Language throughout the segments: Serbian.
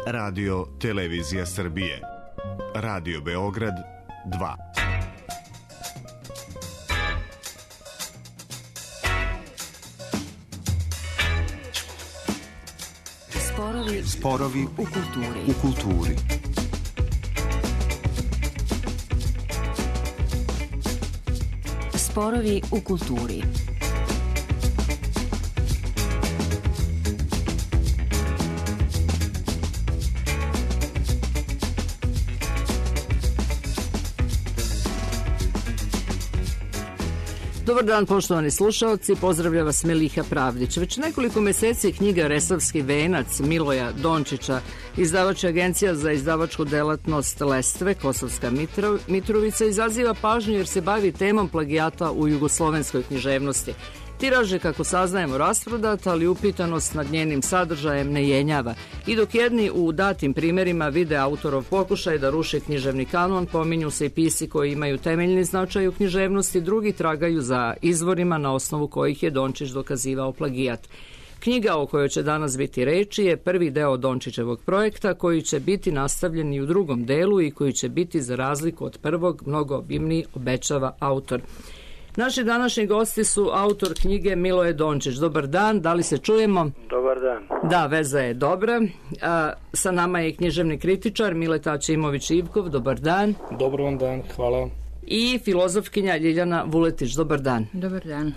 Radio Televizija Srbije. Radio Beograd 2. Sporovi u kulturi. Sporovi u kulturi. Dobar dan, poštovani slušalci, pozdravlja vas Meliha Pravdić. Već nekoliko meseci knjiga Resavski venac Miloja Dončića, izdavač Agencija za izdavačku delatnost Lestve, Kosovska Mitrovica, izaziva pažnju jer se bavi temom plagijata u jugoslovenskoj književnosti. Tiraž je, kako saznajemo, rasprodat, ali upitanost nad njenim sadržajem ne jenjava. I dok jedni u datim primerima vide autorov pokušaj da ruši književni kanon, pominju se i pisci koji imaju temeljni značaj u književnosti, drugi tragaju za izvorima na osnovu kojih je Dončić dokazivao plagijat. Knjiga o kojoj će danas biti reči je prvi deo Dončićevog projekta koji će biti nastavljen i u drugom delu i koji će biti, za razliku od prvog, mnogo obimniji, obećava autor. Naši današnji gosti su autor knjige Miloje Dončić. Dobar dan, da li se čujemo? Dobar dan. Da, veza je dobra. Sa nama je književni kritičar Mileta Aćimović-Ivkov. Dobar dan. Dobar vam dan, hvala. I filozofkinja Ljiljana Vuletić. Dobar dan. Dobar dan.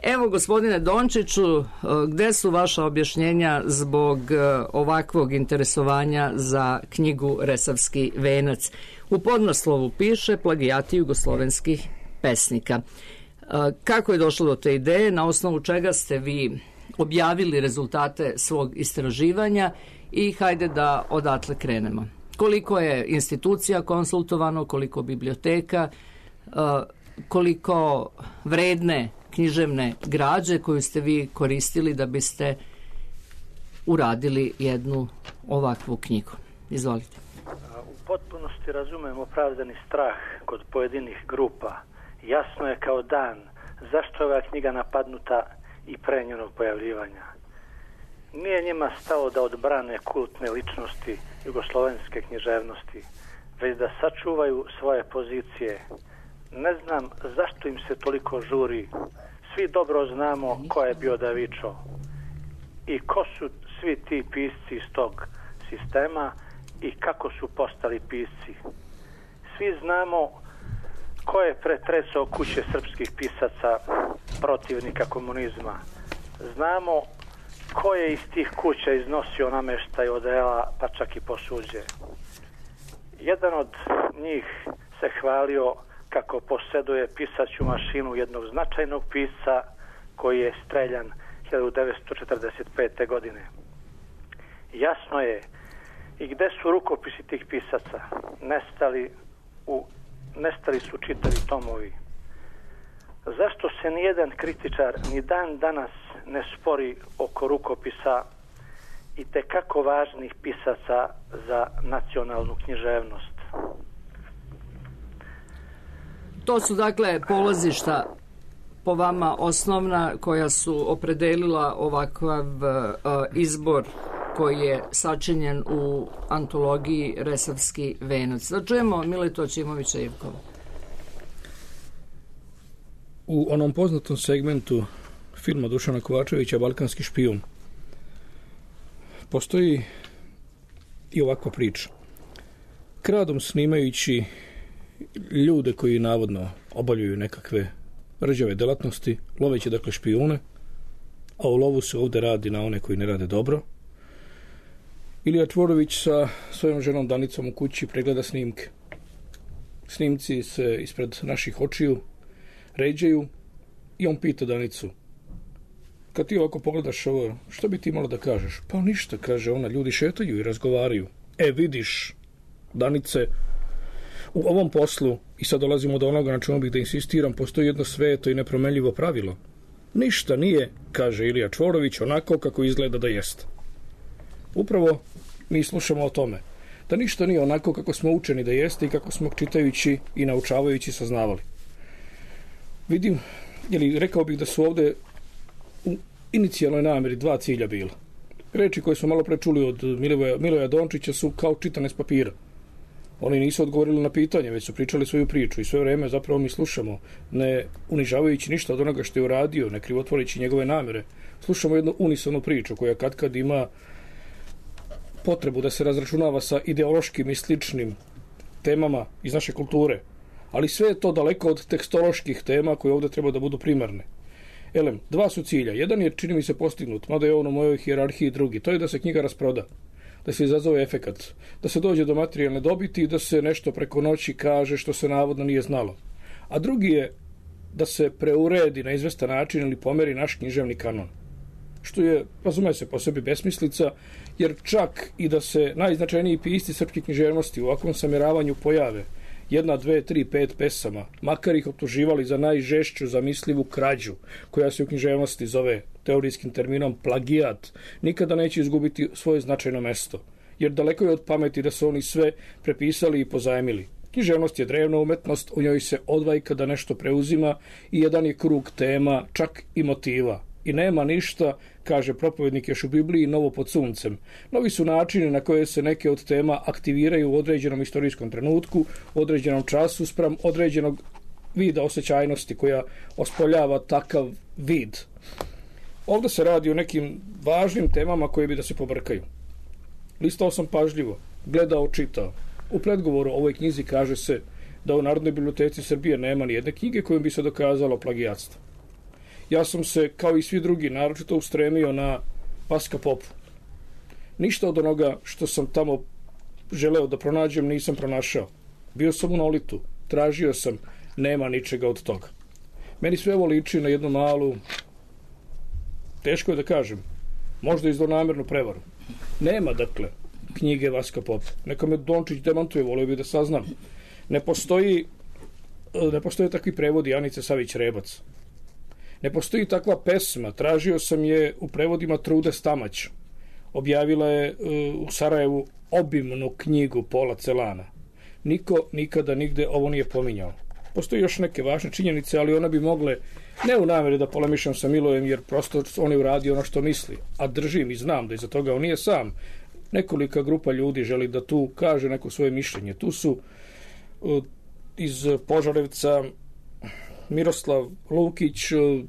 Evo, gospodine Dončiću, gde su vaša objašnjenja zbog ovakvog interesovanja za knjigu Resavski venac? U podnaslovu piše plagijati jugoslovenskih pesnika. Kako je došlo do te ideje, na osnovu čega ste vi objavili rezultate svog istraživanja i hajde da odatle krenemo. Koliko je institucija konsultovano, koliko biblioteka, koliko vredne književne građe koju ste vi koristili da biste uradili jednu ovakvu knjigu. Izvolite. U potpunosti razumem opravdani strah kod pojedinih grupa. Jasno je kao dan zašto je ova knjiga napadnuta i pre njenog pojavljivanja. Nije njima stalo da odbrane kultne ličnosti jugoslovenske književnosti, već da sačuvaju svoje pozicije. Ne znam zašto im se toliko žuri. Svi dobro znamo ko je bio Davičo i ko su svi ti pisci iz tog sistema i kako su postali pisci. Svi znamo ko je pretresao kuće srpskih pisaca, protivnika komunizma. Znamo ko je iz tih kuća iznosio nameštaj odela, pa čak i posuđe. Jedan od njih se hvalio kako posjeduje pisaću mašinu jednog značajnog pisca koji je streljan 1945. godine. Jasno je i gde su rukopisi tih pisaca. Nestali su čitavi tomovi. Zašto se nijedan kritičar ni dan danas ne spori oko rukopisa i tekako važnih pisaca za nacionalnu književnost? To su dakle polazišta po vama osnovna koja su opredelila ovakav izbor koji je sačinjen u antologiji Resavski venac. Da čujemo Miletu Aćimovića-Ivkova. U onom poznatom segmentu filma Dušana Kovačevića Balkanski špijun postoji i ovakva priča. Kradom snimajući ljude koji navodno obavljaju nekakve rđave delatnosti, loveći dakle špijune, a u lovu se ovde radi na one koji ne rade dobro, Ilija Čvorović sa svojom ženom Danicom u kući pregleda snimke. Snimci se ispred naših očiju ređaju i on pita Danicu: kad ti ovako pogledaš ovo, što bi ti imala da kažeš? Pa ništa, kaže ona, ljudi šetaju i razgovaraju. Vidiš, Danice, u ovom poslu, i sad dolazimo do onoga na čemu bih da insistiram, postoji jedno sveto i nepromenljivo pravilo. Ništa nije, kaže Ilija Čvorović, onako kako izgleda da jeste. Upravo mi slušamo o tome, da ništa nije onako kako smo učeni da jeste i kako smo čitajući i naučavajući saznavali. Vidim, rekao bih da su ovde u inicijalnoj nameri dva cilja bila. Reči koje smo malo prečuli od Miloja Dončića su kao čitane s papira. Oni nisu odgovorili na pitanje, već su pričali svoju priču i sve vreme zapravo mi slušamo, ne unižavajući ništa od onoga što je uradio, ne krivotvoreći njegove namere. Slušamo jednu unisonu priču koja kad ima potrebu da se razračunava sa ideološkim i sličnim temama iz naše kulture. Ali sve je to daleko od tekstoloških tema koje ovdje treba da budu primarne. Elem, dva su cilja. Jedan je, čini mi se, postignut, mada je on u mojoj hijerarhiji drugi. To je da se knjiga rasproda, da se izazove efekat, da se dođe do materijalne dobiti i da se nešto preko noći kaže što se navodno nije znalo. A drugi je da se preuredi na izvestan način ili pomeri naš književni kanon. Što je, razume se, po sebi besmislica, jer čak i da se najznačajniji pisci srpske književnosti u ovakvom samjeravanju pojave 1, 2, 3, 5 pesama, makar ih optuživali za najžešću zamislivu krađu, koja se u književnosti zove teorijskim terminom plagijat, nikada neće izgubiti svoje značajno mesto, jer daleko je od pameti da su oni sve prepisali i pozajmili. Književnost je drevna umetnost, u njoj se odvajka da nešto preuzima i jedan je krug tema, čak i motiva. I nema ništa, kaže propovednik još u Bibliji, novo pod suncem. Novi su načini na koje se neke od tema aktiviraju u određenom istorijskom trenutku, u određenom času, spram određenog vida osjećajnosti koja ospoljava takav vid. Ovdje se radi o nekim važnim temama koje bi da se pobrkaju. Listao sam pažljivo, gledao, čitao. U predgovoru ovoj knjizi kaže se da u Narodnoj biblioteci Srbije nema ni jedne knjige kojom bi se dokazalo plagijatstvo. Ja sam se, kao i svi drugi, naročito ustremio na Vaska Popu. Ništa od onoga što sam tamo želeo da pronađem nisam pronašao. Bio sam u Nolitu, tražio sam, nema ničega od toga. Meni sve ovo liči na jednu malu, teško je da kažem, možda i zlonamernu prevaru. Nema, dakle, knjige Vaska Popa. Neka me Dončić demantuje, volio bi da saznam. Ne postoje takvi prevodi Anice Savić-Rebac. Ne postoji takva pesma, tražio sam je u prevodima Trude Stamać. Objavila je u Sarajevu obimnu knjigu Pola Celana. Niko nikada nigde ovo nije pominjao. Postoji još neke važne činjenice, ali ona bi mogle, ne u nameri da polemišam sa Milojem, jer prosto on je uradio ono što misli, a držim i znam da iza toga on nije sam. Nekolika grupa ljudi želi da tu kaže neko svoje mišljenje. Tu su iz Požarevca Miroslav Lukić,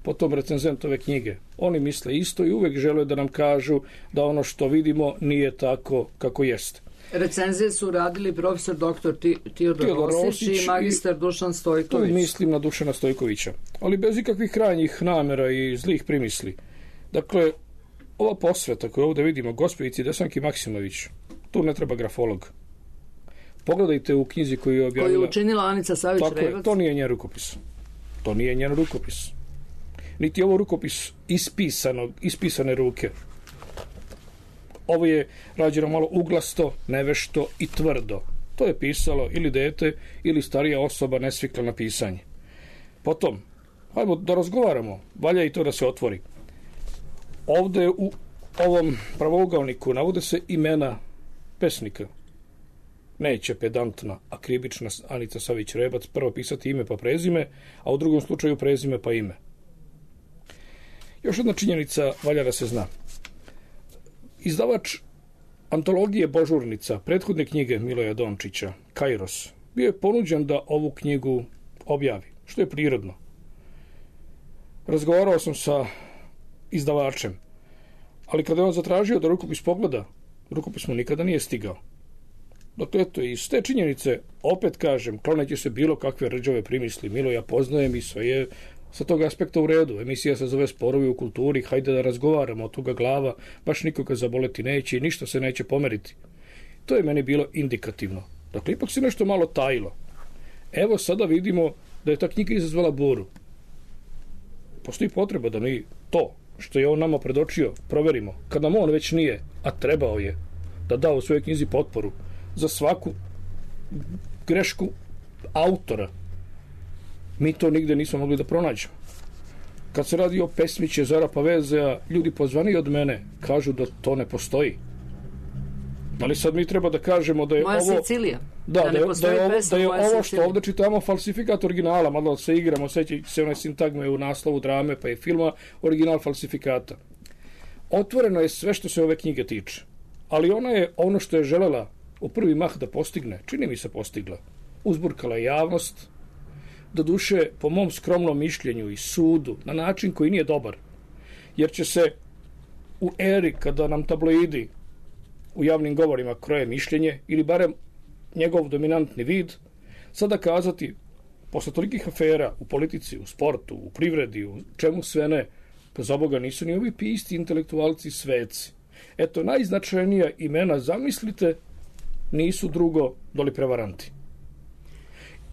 potom recenzent ove knjige. Oni misle isto i uvek žele da nam kažu da ono što vidimo nije tako kako jeste. Recenzije su radili profesor dr. Teodor Rosić i magistar Dušan Stojković. Tu mislim na Dušana Stojkovića, ali bez ikakvih krajnjih namera i zlih primisli. Dakle, ova posveta koju ovdje vidimo, gospođici Desanki Maksimović, tu ne treba grafolog. Pogledajte u knjizi koju je objavila... Koju je učinila Anica Savić-Rebac. To nije njen rukopis. To nije njen rukopis. Niti je ovo rukopis ispisane ruke. Ovo je rađeno malo uglasto, nevešto i tvrdo. To je pisalo ili dete ili starija osoba nesvikla na pisanje. Potom, hajmo da razgovaramo. Valja i to da se otvori. Ovdje u ovom pravougalniku navode se imena pesnika. Neće pedantna, akribična Anica Savić-Rebac prvo pisati ime pa prezime, a u drugom slučaju prezime pa ime. Još jedna činjenica valja da se zna. Izdavač antologije Božurnica, prethodne knjige Miloja Dončića, Kairos, bio je ponuđen da ovu knjigu objavi, što je prirodno. Razgovarao sam sa izdavačem, ali kada je on zatražio da rukopis pogleda, rukopis mu nikada nije stigao. Dakle, eto, iz te činjenice, opet kažem, kloneći se bilo kakve rđave primisli, Miloja poznajem i sve je sa tog aspekta u redu. Emisija se zove Sporovi u kulturi, hajde da razgovaramo, od toga glava baš nikoga zaboleti neće i ništa se neće pomeriti. To je meni bilo indikativno. Dakle, ipak se nešto malo tajilo. Evo sada vidimo da je ta knjiga izazvala buru. Postoji potreba da mi to što je on nama predočio proverimo. Kad nam on već nije, a trebao je da da u svojoj knjizi potporu za svaku grešku autora, mi to nigde nismo mogli da pronađemo. Kad se radi o pesmi Čezara Pavezea, ljudi pozvani od mene kažu da to ne postoji. Ali sad mi treba da kažemo da je Moja ovo... Sicilija. Da je ovo što ovdje čitamo falsifikat originala, malo se igramo, seća se one sintagme u naslovu drame pa je filma, original falsifikata. otvoreno je sve što se ove knjige tiče. Ali ona je ono što je želela u prvi mah da postigne, čini mi se postigla. Uzburkala je javnost, doduše po mom skromnom mišljenju i sudu, na način koji nije dobar. Jer će se u eri kada nam tabloidi u javnim govorima kroje mišljenje, ili barem njegov dominantni vid, sada kazati, posle tolikih afera u politici, u sportu, u privredi, u čemu sve ne, pa za Boga nisu ni ovi pisti intelektualci sveci. Eto, najznačajnija imena, zamislite, nisu drugo doli prevaranti.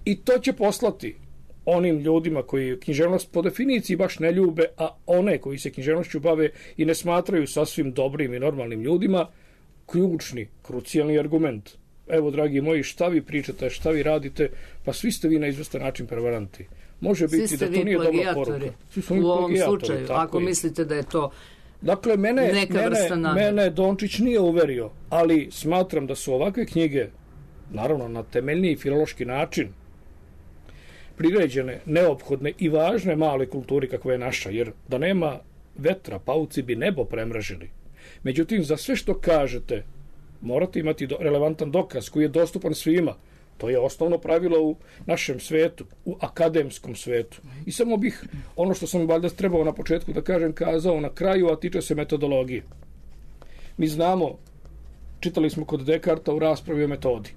I to će poslati onim ljudima koji književnost po definiciji baš ne ljube, a one koji se književnošću bave i ne smatraju sasvim dobrim i normalnim ljudima, ključni, krucijalni argument. Evo, dragi moji, šta vi pričate, šta vi radite, pa svi ste vi na izvestan način prevaranti. Može biti da to nije dobra poruka. U ovom slučaju, ako mislite da je to dakle, mene Dončić nije uverio, ali smatram da su ovakve knjige, naravno na temeljniji filološki način, priređene, neophodne i važne male kulturi kakva je naša, jer da nema vetra, pauci bi nebo premražili. Međutim, za sve što kažete, morate imati relevantan dokaz koji je dostupan svima. To je osnovno pravilo u našem svetu, u akademskom svetu. I samo bih, ono što sam valjda trebao na početku da kažem, kazao na kraju, a tiče se metodologije. Mi znamo, čitali smo kod Dekarta u raspravi o metodi,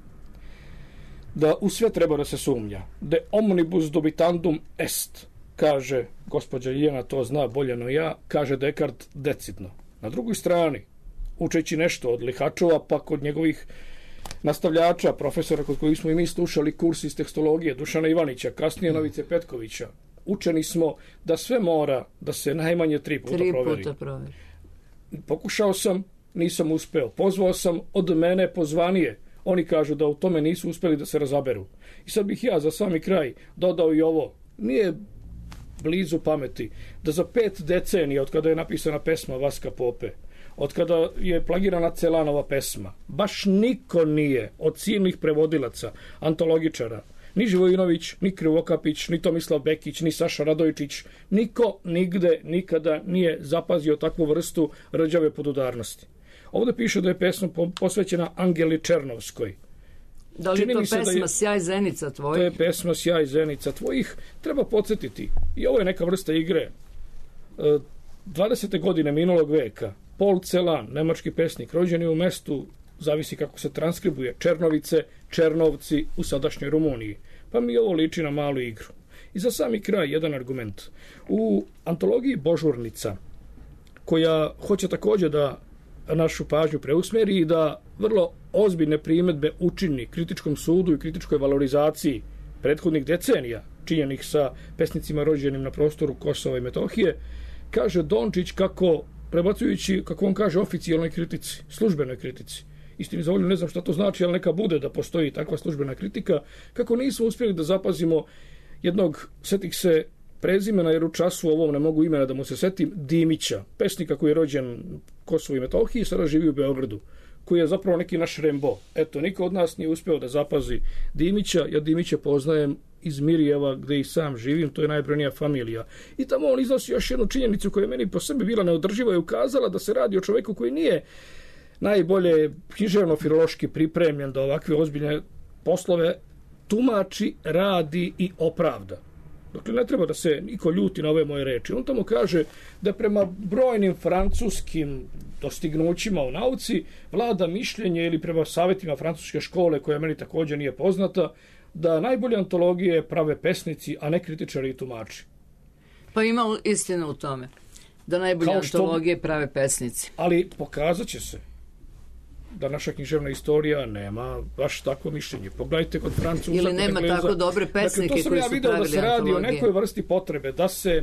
da u sve treba da se sumnja. De omnibus dubitandum est, kaže gospođa Ljena, to zna bolje no ja, kaže Dekart decidno. Na drugoj strani, učeći nešto od Lihačova, pa kod njegovih nastavljača, profesora kod kojih smo i mi slušali kurs iz tekstologije, Dušana Ivanića, kasnije Novice Petkovića, učeni smo da sve mora da se najmanje 3 puta proveri. Pokušao sam, nisam uspeo. Pozvao sam od mene pozvanije. Oni kažu da u tome nisu uspeli da se razaberu. I sad bih ja za sami kraj dodao i ovo. Nije blizu pameti da za 5 decenija od kada je napisana pesma Vaska Pope, od kada je plagirana Celanova pesma, baš niko nije od silnih prevodilaca, antologičara, ni Živojinović, ni Krivokapić, ni Tomislav Bekić, ni Saša Radojčić, niko nigde nikada nije zapazio takvu vrstu rđave podudarnosti. Ovdje piše da je pesma posvećena Angeli Černovskoj. Da li je to pesma Sjaj zenica tvojih? To je pesma Sjaj zenica tvojih. Treba podsjetiti, i ovo je neka vrsta igre, 20. godine minulog veka, Paul Celan, nemački pesnik, rođen je u mestu, zavisi kako se transkribuje, Černovice, Černovci u sadašnjoj Rumuniji. Pa mi ovo liči na malu igru. I za sami kraj jedan argument. U antologiji Božurnica, koja hoće također da našu pažnju preusmeri i da vrlo ozbiljne primjedbe učini kritičkom sudu i kritičkoj valorizaciji prethodnih decenija, činjenih sa pesnicima rođenim na prostoru Kosova i Metohije, kaže Dončić kako, prebacujući, kako on kaže, oficijalnoj kritici, službenoj kritici, istini za volju ne znam šta to znači, ali neka bude da postoji takva službena kritika, kako nismo uspjeli da zapazimo jednog, setih se prezimena, jer u času ovom ne mogu imena da mu se setim, Dimića, pesnika koji je rođen u Kosovu i Metohiji i sada živi u Beogradu, koji je zapravo neki naš Rembo. Eto, niko od nas nije uspeo da zapazi Dimića, ja Dimića poznajem iz Mirjeva, gde i sam živim, to je najbrojnija familija. I tamo on iznosi još jednu činjenicu koja je meni po sebi bila neodrživa i ukazala da se radi o čoveku koji nije najbolje književno-filološki pripremljen da ovakve ozbiljne poslove tumači, radi i opravda. Dakle, ne treba da se niko ljuti na ove moje reči. On tamo kaže da prema brojnim francuskim dostignućima u nauci vlada mišljenje, ili prema savjetima francuske škole, koja meni također nije poznata, da najbolje antologije prave pesnici, a ne kritičari i tumači. Pa ima istina u tome, da najbolje antologije prave pesnici. Ali pokazat će se da naša književna istorija nema baš takvo mišljenje. Pogledajte kod Francuza, ili nema Engleza. Tako dobre pesnike koji su pravili antologije. To sam ja vidio da se radi o nekoj vrsti potrebe, da se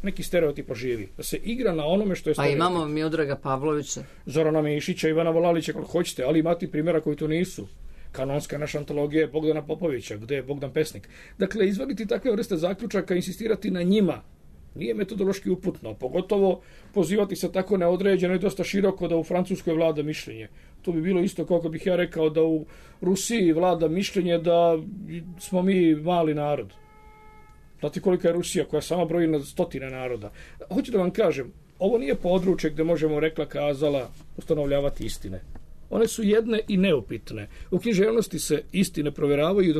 neki stereotip oživi, da se igra na onome što je stereotip. Pa imamo Miodraga Pavlovića, Zorana Mišića, Ivana Volalića, kako hoćete, ali imate primjera koji to nisu. Kanonska naša antologija je Bogdana Popovića, gde je Bogdan Pesnik. Dakle, izvaditi takve vrste zaključaka, insistirati na njima, nije metodološki uputno, pogotovo pozivati se tako neodređeno i dosta široko da u Francuskoj vlada mišljenje. To bi bilo isto kako bih ja rekao da u Rusiji vlada mišljenje da smo mi mali narod. Znate kolika je Rusija koja sama broji na stotine naroda. Hoću da vam kažem, ovo nije područje gde možemo rekla kazala ustanovljavati istine. One su jedne i neupitne. U književnosti se istine provjeravaju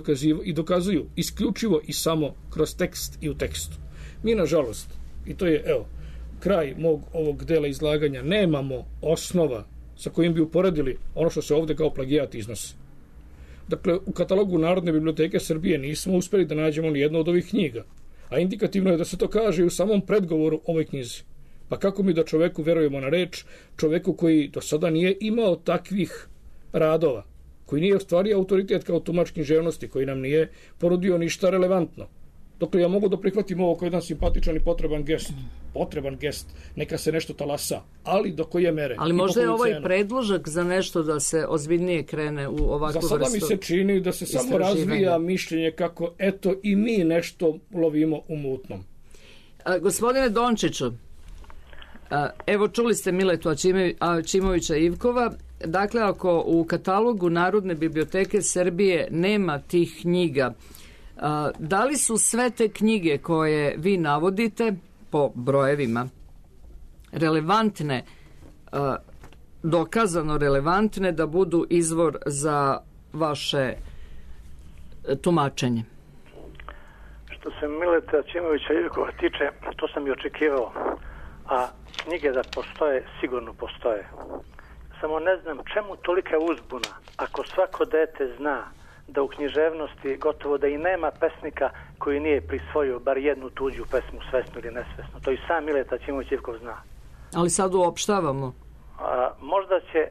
i dokazuju isključivo i samo kroz tekst i u tekstu. Mi, nažalost, i to je, evo, kraj mog ovog dela izlaganja, nemamo osnova sa kojim bi uporedili ono što se ovde kao plagijat iznosi. Dakle, u katalogu Narodne biblioteke Srbije nismo uspeli da nađemo ni jednu od ovih knjiga, a indikativno je da se to kaže i u samom predgovoru ovoj knjizi. Pa kako mi da čoveku verujemo na reč, čoveku koji do sada nije imao takvih radova, koji nije ostvario autoritet kao tumač književnosti, koji nam nije porudio ništa relevantno. Dokle ja mogu da prihvatim ovo kao jedan simpatičan i potreban gest, neka se nešto talasa, ali do koje mere. Ali možda je ovaj predložak za nešto da se ozbiljnije krene u ovakvu vrstu. Za sada mi se čini da se samo razvija mišljenje kako eto i mi nešto lovimo u mutnom. Gospodine Dončiću, evo čuli ste Miletu Aćimovića Ivkova. Dakle, ako u katalogu Narodne biblioteke Srbije nema tih knjiga, da li su sve te knjige koje vi navodite po brojevima relevantne, dokazano relevantne da budu izvor za vaše tumačenje? Što se Mileta Aćimovića Ivkova tiče, to sam i očekivao. A knjige da postoje, sigurno postoje. Samo ne znam čemu tolika uzbuna ako svako dete zna da u književnosti gotovo da i nema pesnika koji nije prisvojio bar jednu tuđu pesmu, svesno ili nesvesno. To i sam Mileta Aćimović Ivkov zna. Ali sad uopštavamo. Možda će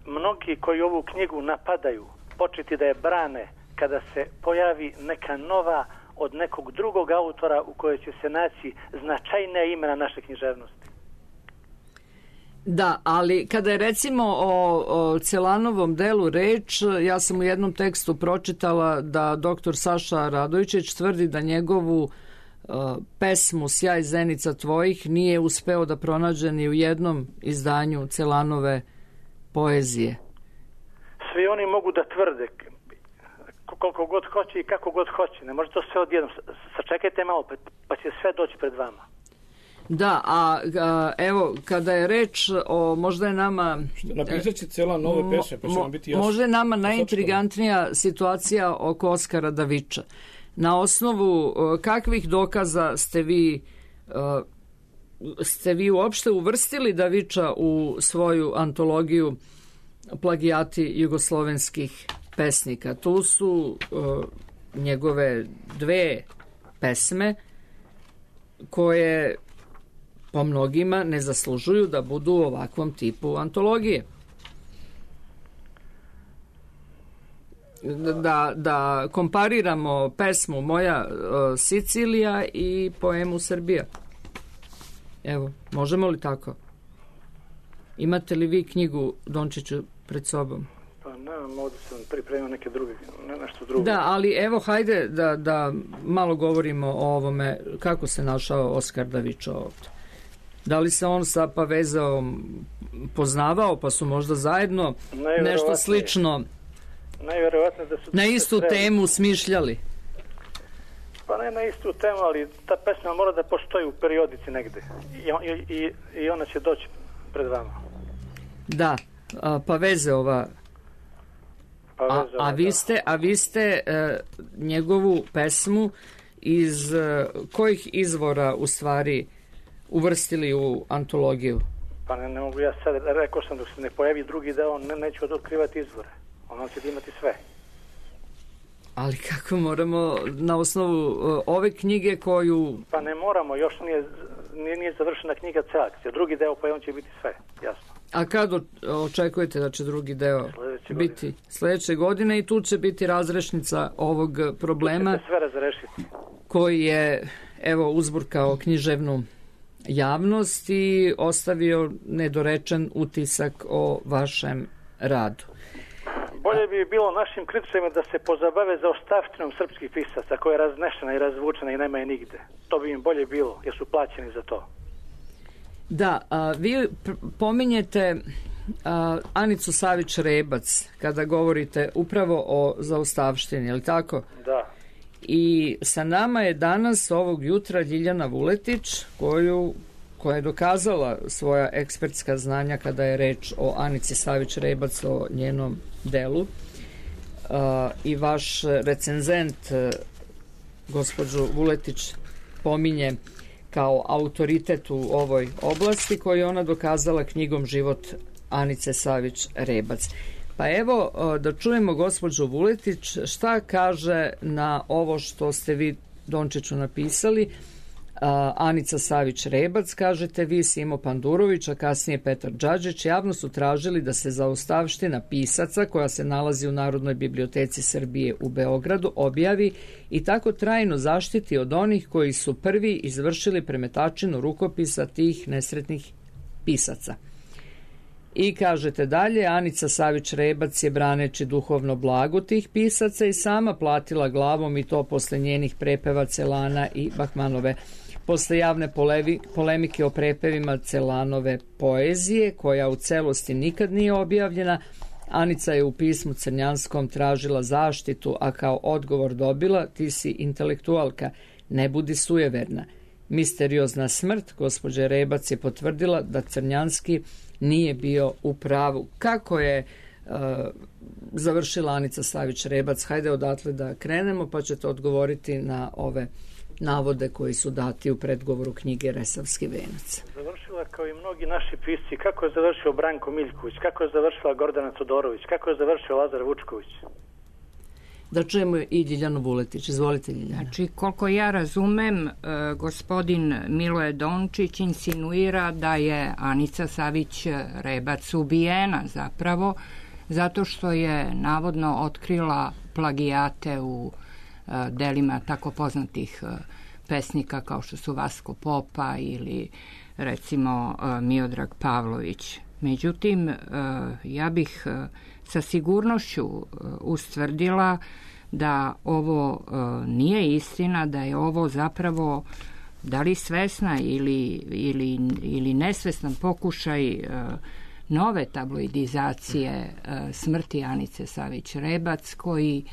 mnogi koji ovu knjigu napadaju početi da je brane kada se pojavi neka nova od nekog drugog autora u kojoj će se naći značajna imena naše književnosti. Da, ali kada je recimo o Celanovom delu reč, ja sam u jednom tekstu pročitala da doktor Saša Radojičić tvrdi da njegovu pesmu Sjaj zenica tvojih nije uspeo da pronađe ni u jednom izdanju Celanove poezije. Svi oni mogu da tvrde koliko god hoće i kako god hoće. Ne može to sve odjednom. Sačekajte malo, pa će sve doći pred vama. Da, a evo, kada je reč o, možda je nama... Napisat će cela nove pesme, pa će vam biti jasno. Možda je nama najintrigantnija situacija oko Oskara Daviča. Na osnovu kakvih dokaza ste vi uopšte uvrstili Daviča u svoju antologiju plagijati jugoslovenskih pesnika? Tu su njegove dve pesme koje po mnogima ne zaslužuju da budu u ovakvom tipu antologije. Da kompariramo pesmu Moja Sicilija i poemu Srbija. Evo, možemo li tako? Imate li vi knjigu Dončiću pred sobom? Pa nemam, ovdje sam pripremio neke druge, nešto drugo. Da, ali evo, hajde da malo govorimo o ovome, kako se našao Oskar Davičo ovdje. Da li se on sa Pavezeom poznavao, pa su možda zajedno nešto slično da su na istu temu smišljali? Pa ne na istu temu, ali ta pesma mora da postoji u periodici negde. I ona će doći pred vama. Da, Pavezeova. A vi ste njegovu pesmu iz kojih izvora u stvari uvrstili u antologiju? Pa ne mogu ja sad, rekao sam dok se ne pojavi drugi deo, neću otkrivati izvore. Ono će imati sve. Ali kako moramo na osnovu ove knjige koju... Pa ne moramo, još nije završena knjiga celakcija. Drugi deo pa on će biti sve, jasno. A kad očekujete da će drugi deo biti? Sledeće godine i tu će biti razrešnica ovog problema. Tu će se sve razrešiti. Koji je, evo, uzburkao književnu javnost i ostavio nedorečen utisak o vašem radu. Bolje bi bilo našim kritičarima da se pozabave za ostavštinom srpskih pisaca koja je raznešena i razvučena i nema je nigde. To bi im bolje bilo jer su plaćeni za to. Da, vi pominjete Anicu Savić-Rebac kada govorite upravo o zaostavštini, je li tako? Da. I sa nama je danas ovog jutra Ljiljana Vuletić, koja je dokazala svoja ekspertska znanja kada je reč o Anici Savić Rebac, o njenom delu. I vaš recenzent, gospođu Vuletić, pominje kao autoritet u ovoj oblasti, koju je ona dokazala knjigom Život Anice Savić Rebac. Pa evo da čujemo gospođu Vuletić šta kaže na ovo što ste vi Dončiću napisali. Anica Savić Rebac, kažete vi, Simo Pandurović, a kasnije Petar Đađić javno su tražili da se zaostavština pisaca koja se nalazi u Narodnoj biblioteci Srbije u Beogradu objavi i tako trajno zaštiti od onih koji su prvi izvršili premetačinu rukopisa tih nesretnih pisaca. I kažete dalje, Anica Savić Rebac je, braneći duhovno blago tih pisaca, i sama platila glavom, i to posle njenih prepeva Celana i Bahmanove. Posle javne polemike o prepevima Celanove poezije, koja u celosti nikad nije objavljena, Anica je u pismu crnjanskom tražila zaštitu, a kao odgovor dobila: ti si intelektualka, ne budi sujeverna. Misteriozna smrt gospođe Rebac je potvrdila da Crnjanski nije bio u pravu. Kako je završila Anica Savić Rebac? Hajde odatle da krenemo, pa ćete odgovoriti na ove navode koji su dati u predgovoru knjige Resavski venac. Završila kao i mnogi naši pisci. Kako je završio Branko Miljković, kako je završila Gordana Todorović, kako je završio Lazar Vučković. Da čujemo i Ljiljanu Vuletić. Izvolite, Ljiljana. Znači, koliko ja razumem, gospodin Miloje Dončić insinuira da je Anica Savić Rebac ubijena zapravo, zato što je navodno otkrila plagijate u delima tako poznatih pesnika kao što su Vasko Popa ili recimo Miodrag Pavlović. Međutim, ja bih sa sigurnošću ustvrdila da ovo nije istina, da je ovo zapravo, da li svesna ili nesvestan pokušaj nove tabloidizacije smrti Anice Savić Rebac, koji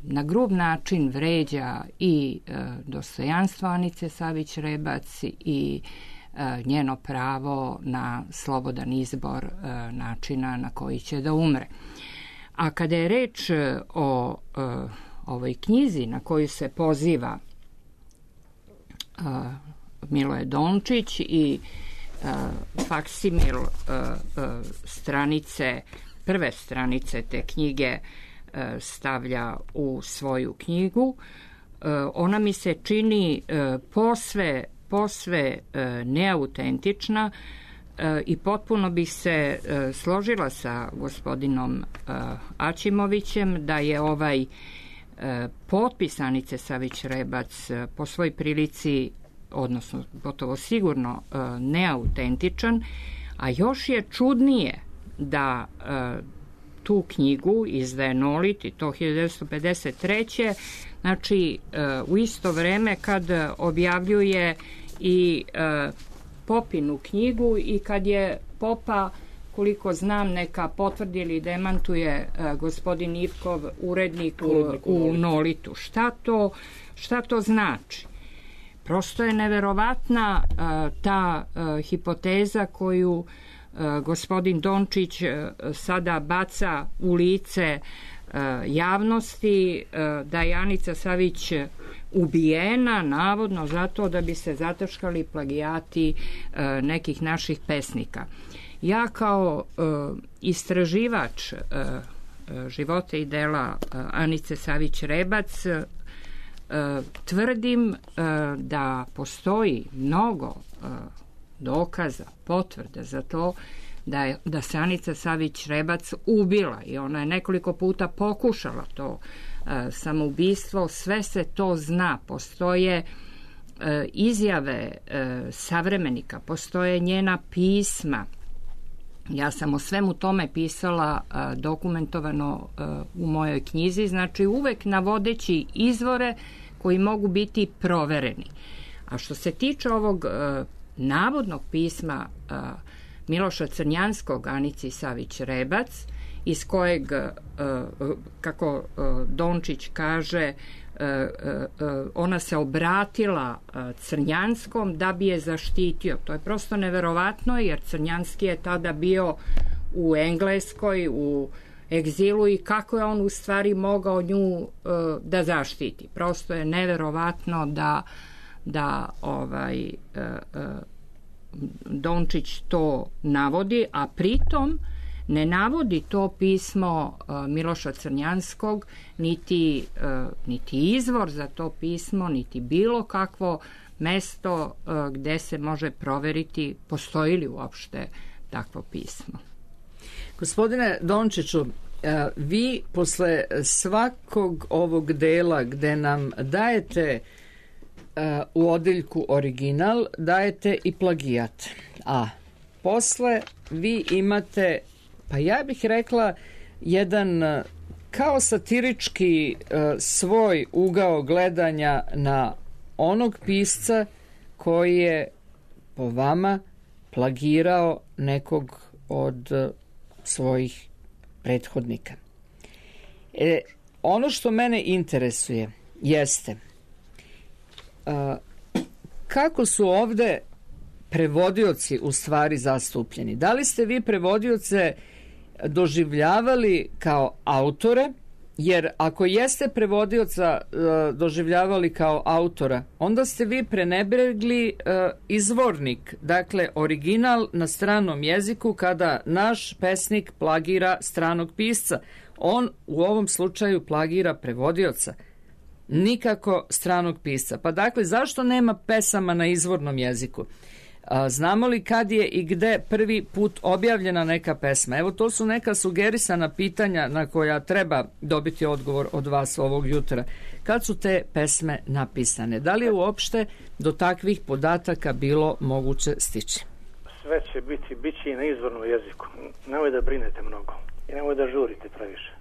na grub način vređa i dostojanstvo Anice Savić Rebac i njeno pravo na slobodan izbor načina na koji će da umre. A kada je reč o ovoj knjizi na koju se poziva Miloje Dončić i faksimil prve stranice te knjige stavlja u svoju knjigu, ona mi se čini posve neautentična i potpuno bih se složila sa gospodinom Aćimovićem da je ovaj potpis Anice Savić Rebac po svoj prilici, odnosno gotovo sigurno neautentičan, a još je čudnije da tu knjigu izdaje Nolit, i to 1953. Znači, u isto vreme kad objavljuje i Popinu knjigu i kad je Popa, koliko znam, neka potvrdi ili demantuje gospodin Ivkov, urednik u Nolitu. Šta to znači? Prosto je neverovatna ta hipoteza koju gospodin Dončić sada baca u lice javnosti, da je Anica Savić ubijena navodno zato da bi se zataškali plagijati nekih naših pesnika. Ja kao istraživač života i dela Anice Savić Rebac tvrdim da postoji mnogo dokaza, potvrda za to da se Anica Savić Rebac ubila, i ona je nekoliko puta pokušala to samoubistvo. Sve se to zna, postoje izjave savremenika, postoje njena pisma. Ja sam o svemu tome pisala dokumentovano u mojoj knjizi, znači uvek navodeći izvore koji mogu biti provereni. A što se tiče ovog navodnog pisma Miloša Crnjanskog Anici Savić Rebac, iz kojeg, kako Dončić kaže, ona se obratila Crnjanskom da bi je zaštitio. To je prosto neverovatno, jer Crnjanski je tada bio u Engleskoj, u egzilu, i kako je on u stvari mogao nju da zaštiti. Prosto je neverovatno da Dončić to navodi, a pritom ne navodi to pismo Miloša Crnjanskog, niti izvor za to pismo, niti bilo kakvo mesto gde se može proveriti postoji li uopšte takvo pismo. Gospodine Dončiću, vi posle svakog ovog dela gde nam dajete u odeljku original, dajete i plagijat. A posle vi imate, pa ja bih rekla, jedan kao satirički svoj ugao gledanja na onog pisca koji je po vama plagirao nekog od svojih prethodnika. Ono što mene interesuje jeste kako su ovde prevodioci u stvari zastupljeni. Da li ste vi prevodioce doživljavali kao autore? Jer ako jeste prevodioca doživljavali kao autora, onda ste vi prenebregli izvornik, dakle original na stranom jeziku, kada naš pesnik plagira stranog pisca. On u ovom slučaju plagira prevodioca, nikako stranog pisca. Pa dakle, zašto nema pesama na izvornom jeziku? Znamo li kad je i gde prvi put objavljena neka pesma? Evo, to su neka sugerisana pitanja na koja treba dobiti odgovor od vas ovog jutra. Kad su te pesme napisane? Da li je uopšte do takvih podataka bilo moguće stići? Sve će biti i na izvornom jeziku. Nemoj da brinete mnogo i nemoj da žurite previše.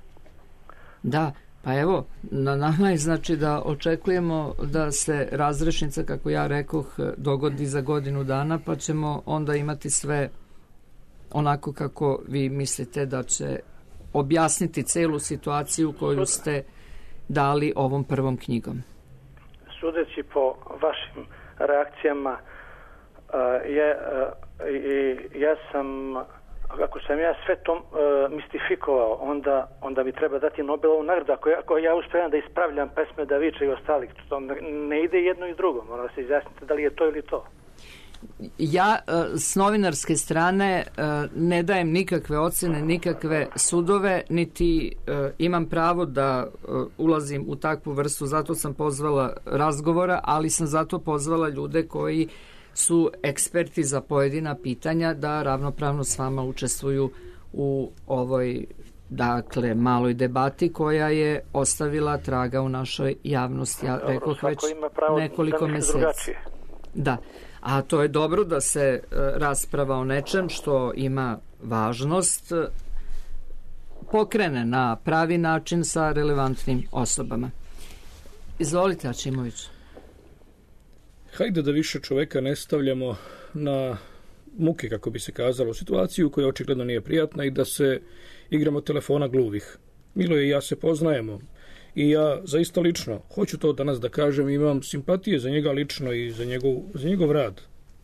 Da, pa evo, na nama je znači da očekujemo da se razrešnica, kako ja rekoh, dogodi za godinu dana, pa ćemo onda imati sve onako kako vi mislite da će objasniti celu situaciju koju ste dali ovom prvom knjigom. Sudeći po vašim reakcijama, ja sam, ako sam ja sve to mistifikovao, onda mi treba dati Nobelovu nagradu. Ako ja uspijem da ispravljam pesme Daviča i ostalih, to ne ide jedno i drugo. Mora se izjasniti da li je to ili to. Ja s novinarske strane ne dajem nikakve ocene, nikakve sudove, niti imam pravo da ulazim u takvu vrstu. Zato sam pozvala razgovora, ali sam zato pozvala ljude koji su eksperti za pojedina pitanja da ravnopravno s vama učestvuju u ovoj, dakle, maloj debati koja je ostavila traga u našoj javnosti. Ja rekoh već nekoliko meseci. Da, a to je dobro da se rasprava o nečem što ima važnost pokrene na pravi način sa relevantnim osobama. Izvolite, Ačimović. Hajde da više čoveka ne stavljamo na muke, kako bi se kazalo, situaciju koja očigledno nije prijatna i da se igramo telefona gluvih. Miloje i ja se poznajemo i ja zaista lično, hoću to danas da kažem, imam simpatije za njega lično i za njegov rad.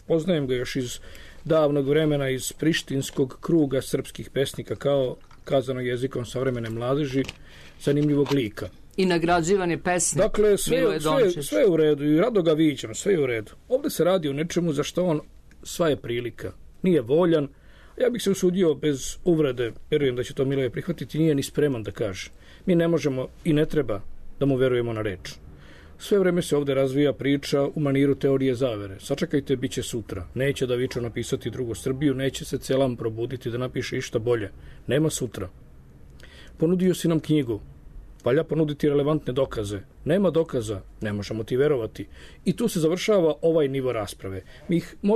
Poznajem ga još iz davnog vremena, iz prištinskog kruga srpskih pesnika, kao kazano jezikom savremene mladeži, zanimljivog lika. I nagrađivan je pesnik. Dakle, sve je u redu i rado ga viđam, sve je u redu. Ovdje se radi o nečemu za što on, sva je prilika, nije voljan. Ja bih se usudio bez uvrede, vjerujem da će to Miloje prihvatiti, nije ni spreman da kaže. Mi ne možemo i ne treba da mu verujemo na reč. Sve vreme se ovdje razvija priča u maniru teorije zavere. Sačekajte, bit će sutra. Neće Davičo napisati drugu Srbiju, neće se Celam probuditi da napiše išta bolje. Nema sutra. Ponudio si nam knjigu. Valja ponuditi relevantne dokaze. Nema dokaza, ne možemo ti verovati. I tu se završava ovaj nivo rasprave.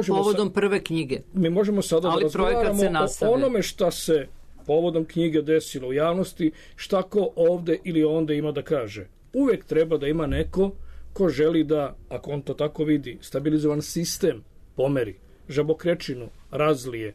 Povodom prve knjige. Mi možemo sada da razgovaramo o onome šta se povodom knjige desilo u javnosti, šta ko ovde ili onde ima da kaže. Uvijek treba da ima neko ko želi da, ako on to tako vidi, stabilizovan sistem pomeri, žabokrečinu razlije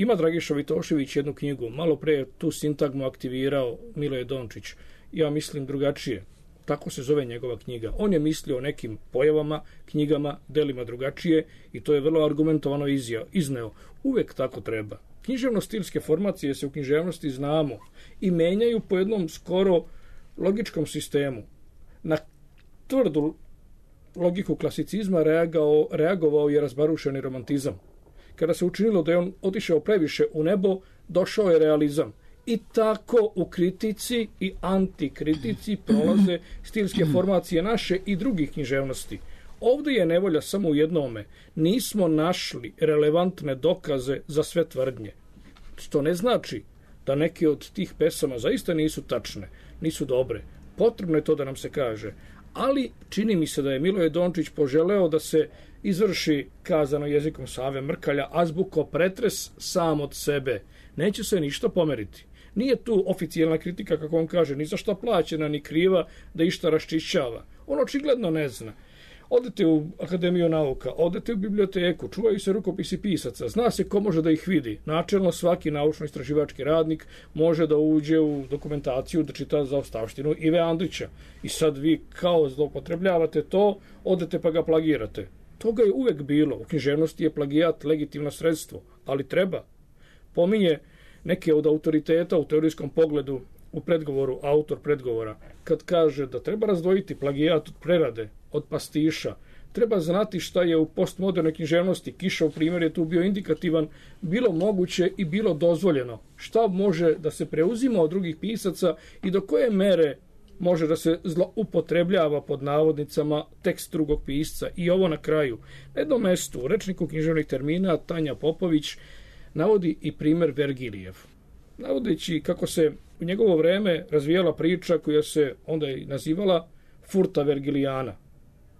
Ima Dragiša Vitošević jednu knjigu, malo pre tu sintagmu aktivirao Miloje Dončić. Ja mislim drugačije. Tako se zove njegova knjiga. On je mislio o nekim pojavama, knjigama, delima drugačije i to je vrlo argumentovano izneo. Uvek tako treba. Književno-stilske formacije se u književnosti znamo i menjaju po jednom skoro logičkom sistemu. Na tvrdu logiku klasicizma reagovao je razbarušeni romantizam. Kada se učinilo da je on otišao previše u nebo, došao je realizam. I tako u kritici i antikritici prolaze stilske formacije naše i drugih književnosti. Ovdje je nevolja samo u jednome. Nismo našli relevantne dokaze za sve tvrdnje. Što ne znači da neke od tih pesama zaista nisu tačne, nisu dobre. Potrebno je to da nam se kaže. Ali čini mi se da je Miloje Dončić poželeo da se izvrši, kazano jezikom Save Mrkalja, azbuko pretres sam od sebe. Neće se ništa pomeriti. Nije tu oficijalna kritika, kako on kaže, ni za šta plaćena, ni kriva da išta raščišćava. On očigledno ne zna. Odete u Akademiju nauka, odete u biblioteku, čuvaju se rukopisi pisaca, zna se ko može da ih vidi. Načelno svaki naučno-istraživački radnik može da uđe u dokumentaciju, da čita zaostavštinu Ive Andrića. I sad vi kao zloupotrebljavate to, odete pa ga plagirate. Toga je uvek bilo. U književnosti je plagijat legitimno sredstvo, ali treba. Pominje neke od autoriteta u teorijskom pogledu u predgovoru, autor predgovora, kad kaže da treba razdvojiti plagijat od prerade, od pastiša. Treba znati šta je u postmodernoj književnosti, Kišov primjer je tu bio indikativan, bilo moguće i bilo dozvoljeno. Šta može da se preuzima od drugih pisaca i do koje mere može da se zloupotrebljava pod navodnicama tekst drugog pisca. I ovo na kraju. Na jednom mestu u rečniku književnih termina Tanja Popović navodi i primjer Vergilijev. Navodeći kako se u njegovo vreme razvijala priča koja se onda i nazivala Furta Vergilijana,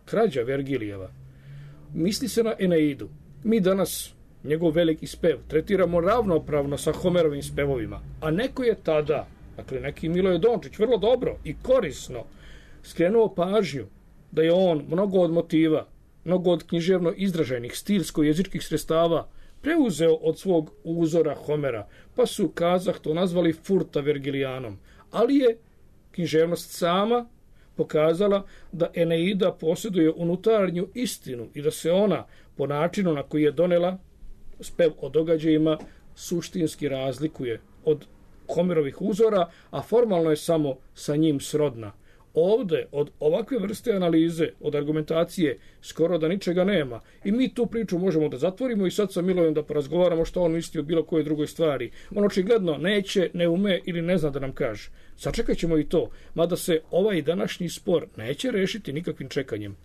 krađa Vergilijeva. Misli se na Eneidu. Mi danas njegov veliki spev tretiramo ravnopravno sa Homerovim spevovima, a neko je tada, dakle neki Miloje Dončić, vrlo dobro i korisno skrenuo pažnju da je on mnogo od motiva, mnogo od književno izraženih stilsko-jezičkih sredstava preuzeo od svog uzora Homera, pa su, kazah, to nazvali Furta Vergilijanom. Ali je književnost sama pokazala da Eneida posjeduje unutarnju istinu i da se ona, po načinu na koji je donela spev o događajima, suštinski razlikuje od Homerovih uzora, a formalno je samo sa njim srodna. Ovde, od ovakve vrste analize, od argumentacije, skoro da ničega nema. I mi tu priču možemo da zatvorimo i sad sa Milojem da porazgovaramo što on misli o bilo kojoj drugoj stvari. On očigledno neće, ne ume ili ne zna da nam kaže. Sačekat ćemo i to, mada se ovaj današnji spor neće rešiti nikakvim čekanjem.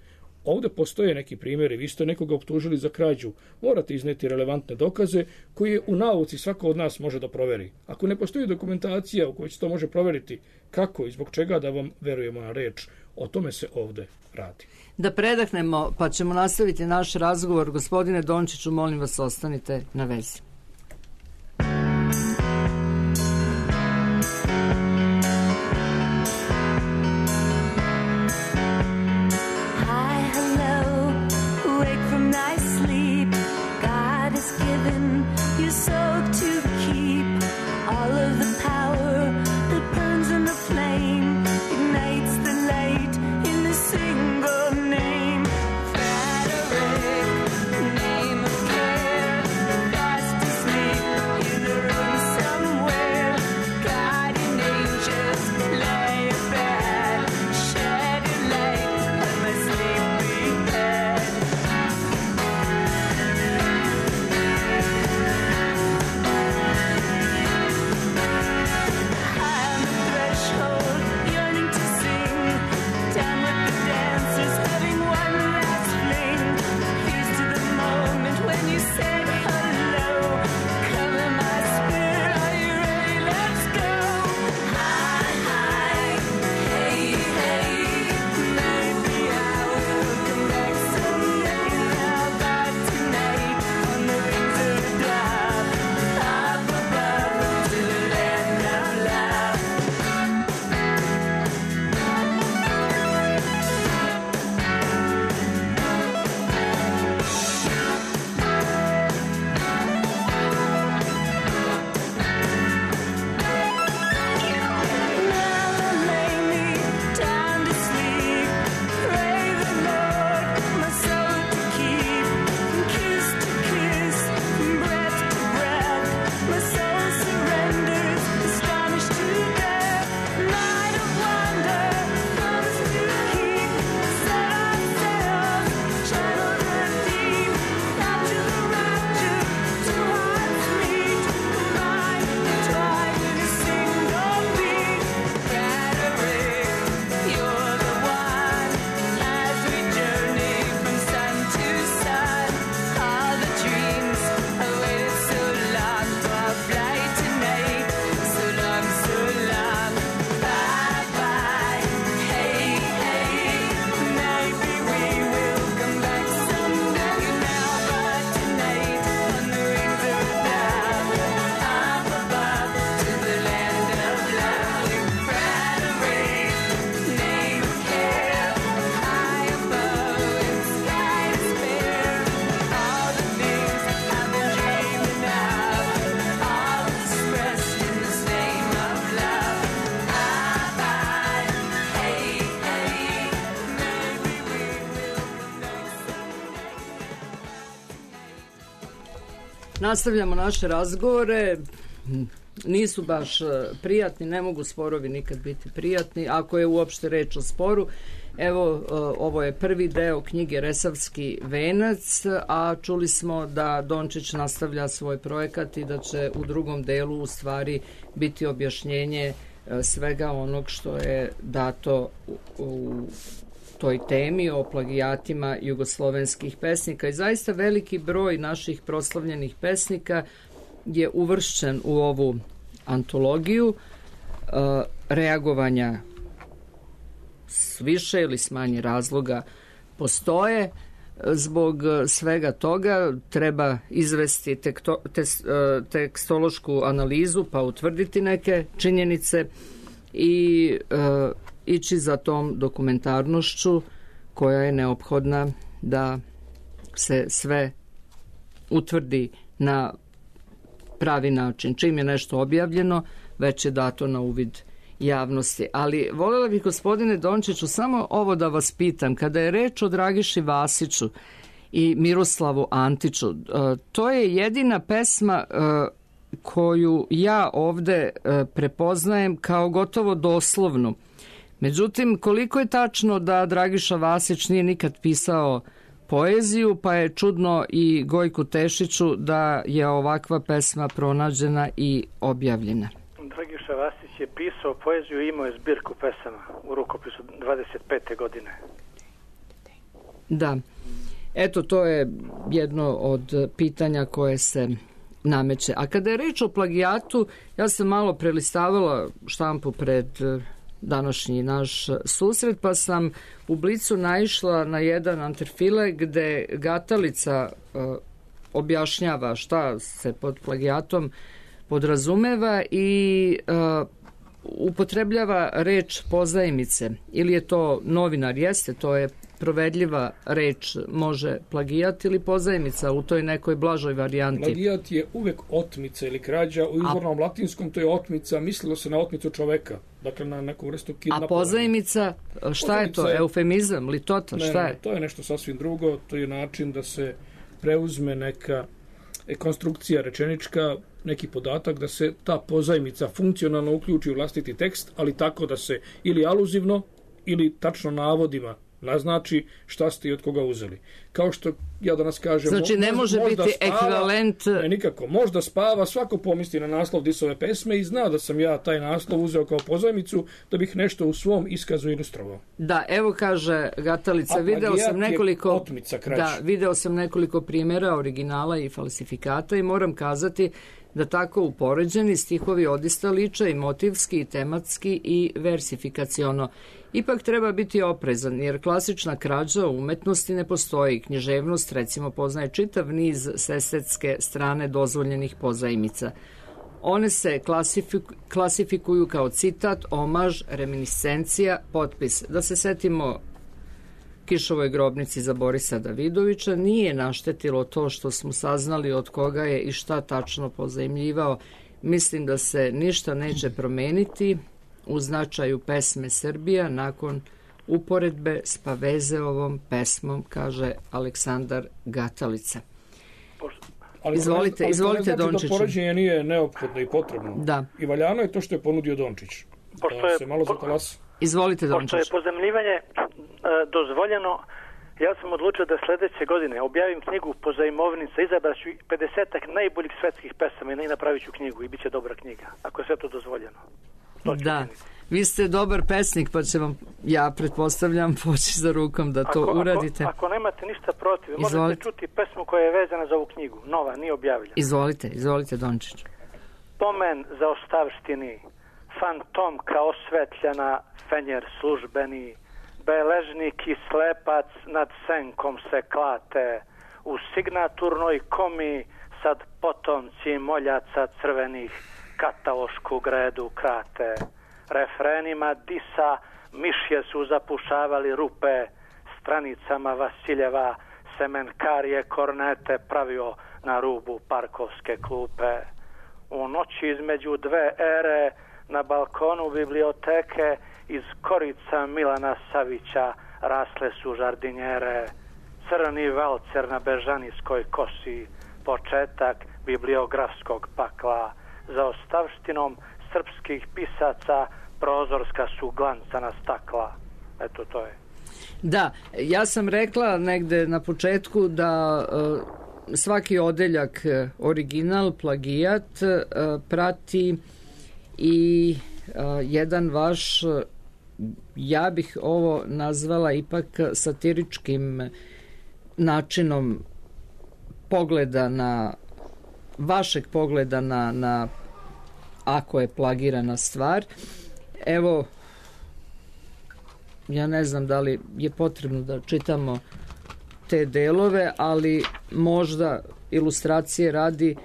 Ovde postoje neki primjeri, vi ste nekoga optužili za krađu, morate izneti relevantne dokaze koje u nauci svako od nas može da proveri. Ako ne postoji dokumentacija u kojoj se to može proveriti, kako i zbog čega da vam verujemo na reč, o tome se ovde radi. Da predahnemo, pa ćemo nastaviti naš razgovor. Gospodine Dončiću, molim vas, ostanite na vezi. Frederick, name of care, fast Nastavljamo naše razgovore. Nisu baš prijatni, ne mogu sporovi nikad biti prijatni, ako je uopšte reč o sporu. Evo, ovo je prvi deo knjige Resavski venac, a čuli smo da Dončić nastavlja svoj projekat i da će u drugom delu u stvari biti objašnjenje svega onog što je dato u toj temi o plagijatima jugoslovenskih pesnika. I zaista veliki broj naših proslavljenih pesnika je uvršćen u ovu antologiju. Reagovanja s više ili s manje razloga postoje. Zbog svega toga treba izvesti tekstološku analizu pa utvrditi neke činjenice i ići za tom dokumentarnošću koja je neophodna da se sve utvrdi na pravi način. Čim je nešto objavljeno, već je dato na uvid javnosti. Ali voljela bih, gospodine Dončiću, samo ovo da vas pitam. Kada je reč o Dragiši Vasiću i Miroslavu Antiću, to je jedina pesma koju ja ovde prepoznajem kao gotovo doslovnu. Međutim, koliko je tačno da Dragiša Vasić nije nikad pisao poeziju, pa je čudno i Gojku Tešiću da je ovakva pesma pronađena i objavljena. Dragiša Vasić je pisao poeziju i imao je zbirku pesama u rukopisu 25. godine. Da. Eto, to je jedno od pitanja koje se nameće. A kada je reč o plagijatu, ja sam malo prelistavala štampu pred današnji naš susret, pa sam u Blicu naišla na jedan anterfile gde Gatalica objašnjava šta se pod plagijatom podrazumeva i upotrebljava reč pozajmice. Ili je to novinar, jeste, to je provedljiva reč, može plagijat ili pozajmica u toj nekoj blažoj varijanti. Plagijat je uvek otmica ili krađa, u izvornom latinskom to je otmica, mislilo se na otmicu čoveka, dakle na neku vrstu kidnapovanja. A pozajmica, šta je to? Eufemizam, litota, šta je? Ne, to je nešto sasvim drugo, to je način da se preuzme neka konstrukcija rečenička, neki podatak da se ta pozajmica funkcionalno uključi u vlastiti tekst, ali tako da se ili aluzivno ili tačno navodima naznači šta ste i od koga uzeli. Kao što ja danas kažem... Znači ne može biti ekvivalent... Ne, nikako. Možda spava, svako pomisli na naslov Disove pesme i zna da sam ja taj naslov uzeo kao pozajmicu da bih nešto u svom iskazu ilustrovao. Da, evo kaže Gatalica, video sam nekoliko primjera originala i falsifikata i moram kazati da tako upoređeni stihovi odista liče i motivski, i tematski, i versifikaciono. Ipak treba biti oprezan, jer klasična krađa u umetnosti ne postoji. Književnost, recimo, poznaje čitav niz s estetske strane dozvoljenih pozajmica. One se klasifikuju kao citat, omaž, reminiscencija, potpis. Da se setimo Kišovoj grobnici za Borisa Davidovića, nije naštetilo to što smo saznali od koga je i šta tačno pozajmljivao. Mislim da se ništa neće promeniti u značaju pesme Srbija nakon uporedbe s Pavezeovom pesmom, kaže Aleksandar Gatalica. Izvolite, Dončiću. Da poređenje nije neophodno i potrebno. Da. I valjano je to što je ponudio Dončić. Da se malo zatalasa. Izvolite, Dončić. Pošto je pozajmljivanje dozvoljeno, ja sam odlučio da sledeće godine objavim knjigu Pozajmovnica, izabraću 50-ak najboljih svetskih pesama i napravit ću knjigu i bit će dobra knjiga, ako je sve to dozvoljeno. Da, vi ste dobar pesnik, pa će vam, ja pretpostavljam, poći za rukom da to uradite. Ako nemate ništa protiv, možete čuti pesmu koja je vezana za ovu knjigu, nova, nije objavljena. Izvolite, Dončić. Pomen za ostavštini, fantomka osvetljena, fenjer službeni, beležnik i slepac nad senkom se klate, u signaturnoj komi sad potomci moljaca crvenih katalošku gredu krate. Refrenima disa mišje su zapušavali rupe, stranicama Vasiljeva semenkarije kornete pravio na rubu parkovske klupe. U noći između dve ere na balkonu biblioteke iz korica Milana Savića rasle su žardinjere. Crni valcer na bežanijskoj kosi, početak bibliografskog pakla, za ostavštinom srpskih pisaca prozorska su glancana stakla. Eto, to je. Da, ja sam rekla negde na početku da svaki odeljak original, plagijat prati i jedan vaš, ja bih ovo nazvala ipak satiričkim načinom pogleda na vašeg pogleda na ako je plagirana stvar. Evo, ja ne znam da li je potrebno da čitamo te delove, ali možda ilustracije radi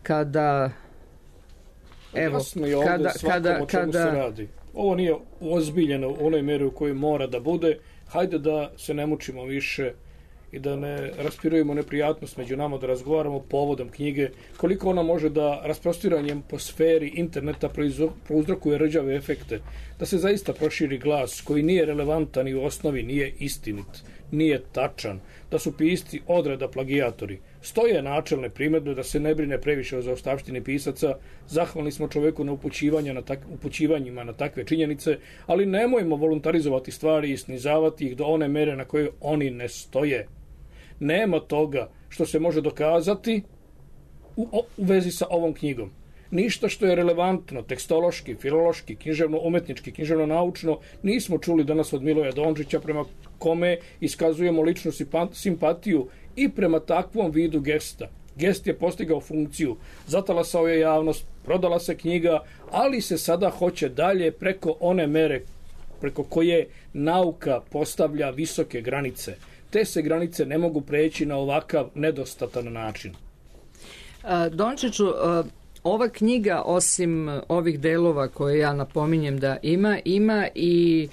kada evo, jasno je ovdje svakom o čemu se radi. Ovo nije ozbiljeno u onoj meri u kojoj mora da bude. Hajde da se ne mučimo više i da ne raspirujemo neprijatnost među nama, da razgovaramo povodom knjige, koliko ona može da rasprostiranjem po sferi interneta prouzrokuje rđave efekte, da se zaista proširi glas koji nije relevantan i u osnovi nije istinit, nije tačan, da su pisci odreda plagijatori. Stoje načelne primjedbe da se ne brine previše o zaostavštini pisaca, zahvalni smo čoveku na upućivanjima na takve činjenice, ali nemojmo voluntarizovati stvari i snizavati ih do one mere na koje oni ne stoje. Nema toga što se može dokazati u vezi sa ovom knjigom. Ništa što je relevantno, tekstološki, filološki, književno-umetnički, književno-naučno, nismo čuli danas od Miloja Dončića, prema kome iskazujemo ličnu simpatiju i prema takvom vidu gesta. Gest je postigao funkciju, zatalasao je javnost, prodala se knjiga, ali se sada hoće dalje preko one mere preko koje nauka postavlja visoke granice. Te se granice ne mogu preći na ovakav nedostatan način. Dončiću, ova knjiga, osim ovih delova koje ja napominjem da ima i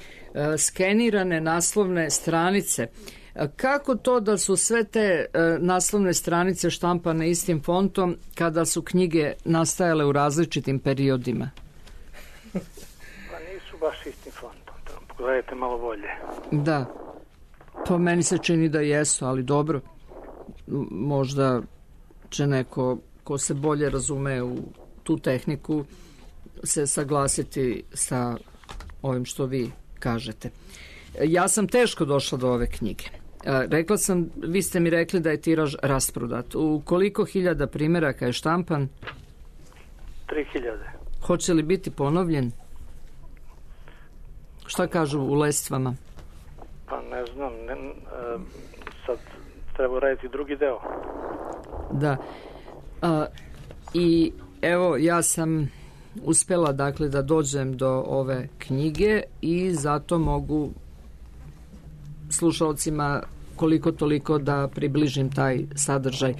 skenirane naslovne stranice. Kako to da su sve te naslovne stranice štampane istim fontom kada su knjige nastajale u različitim periodima? Pa nisu baš istim fontom. Pogledajte malo bolje. Da. To meni se čini da jesu, ali dobro. Možda će neko ko se bolje razume u tu tehniku se saglasiti sa ovim što vi kažete. Ja sam teško došla do ove knjige. Rekla sam, vi ste mi rekli da je tiraž rasprodat. U koliko hiljada primjeraka je štampan? 3000. Hoće li biti ponovljen? Šta kažu u lestvama? Pa ne znam, sad treba raditi drugi deo. Da. I evo, ja sam uspjela dakle da dođem do ove knjige i zato mogu slušalcima koliko toliko da približim taj sadržaj.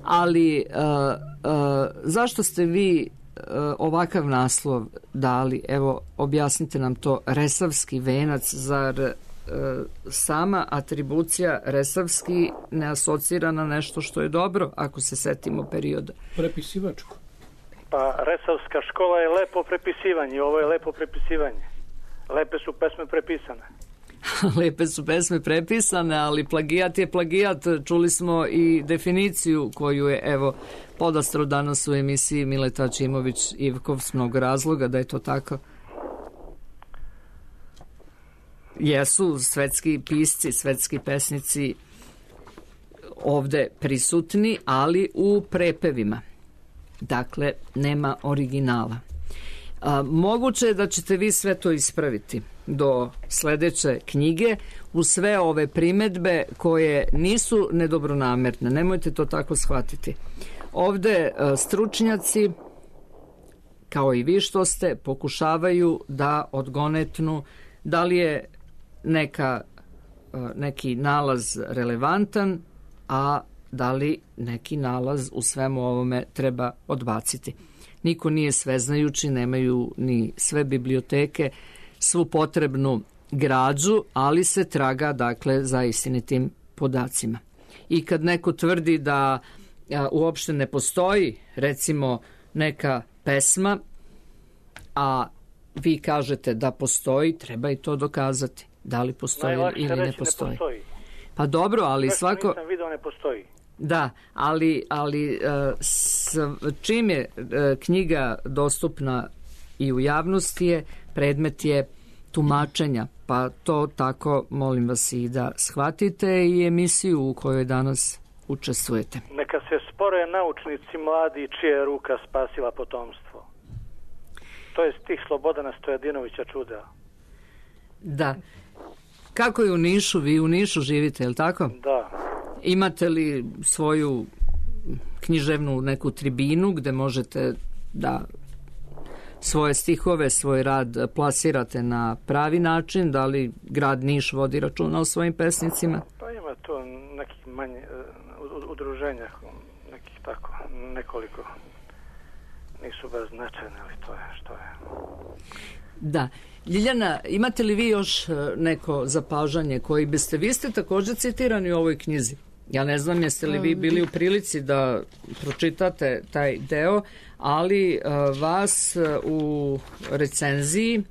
Ali zašto ste vi ovakav naslov dali? Evo, objasnite nam to. Resavski venac, zar sama atribucija Resavski ne asocira na nešto što je dobro, ako se setimo perioda? Prepisivačko. Pa Resavska škola je lepo prepisivanje, ovo je lepo prepisivanje. Lepe su pesme prepisane. Lepe su pesme prepisane, ali plagijat je plagijat. Čuli smo i definiciju koju je, evo, podastro danas u emisiji Mileta Čimović-Ivkov s mnogo razloga da je to tako. Jesu svetski pisci, svetski pesnici ovde prisutni, ali u prepevima. Dakle, nema originala. Moguće je da ćete vi sve to ispraviti do sledeće knjige u sve ove primedbe koje nisu nedobronamerne. Nemojte to tako shvatiti. Ovde stručnjaci, kao i vi što ste, pokušavaju da odgonetnu da li je neki nalaz relevantan, a da li neki nalaz u svemu ovome treba odbaciti. Niko nije sveznajući, nemaju ni sve biblioteke svu potrebnu građu, ali se traga dakle za istinitim podacima. I kad neko tvrdi da uopšte ne postoji recimo neka pesma, a vi kažete da postoji, treba i to dokazati. Da li postoji ili ne postoji. Pa dobro, ali svako... Nisam video, ne postoji. Da, ali čim je knjiga dostupna i u javnosti je, predmet je tumačenja, pa to tako molim vas i da shvatite i emisiju u kojoj danas učestvujete. Neka se spore naučnici mladi čija je ruka spasila potomstvo. To je stih Slobodana Stojadinovića Čuda. Da. Kako je u Nišu? Vi u Nišu živite, je li tako? Da. Imate li svoju književnu neku tribinu gde možete da svoje stihove, svoj rad plasirate na pravi način? Da li grad Niš vodi računa o svojim pesnicima? Pa ima to nekih manje udruženja, nekih tako, nekoliko. Nisu baš značajne, ali to je što je. Da. Ljiljana, imate li vi još neko zapažanje koji biste, vi ste također citirani u ovoj knjizi. Ja ne znam jeste li vi bili u prilici da pročitate taj deo, ali vas u recenziji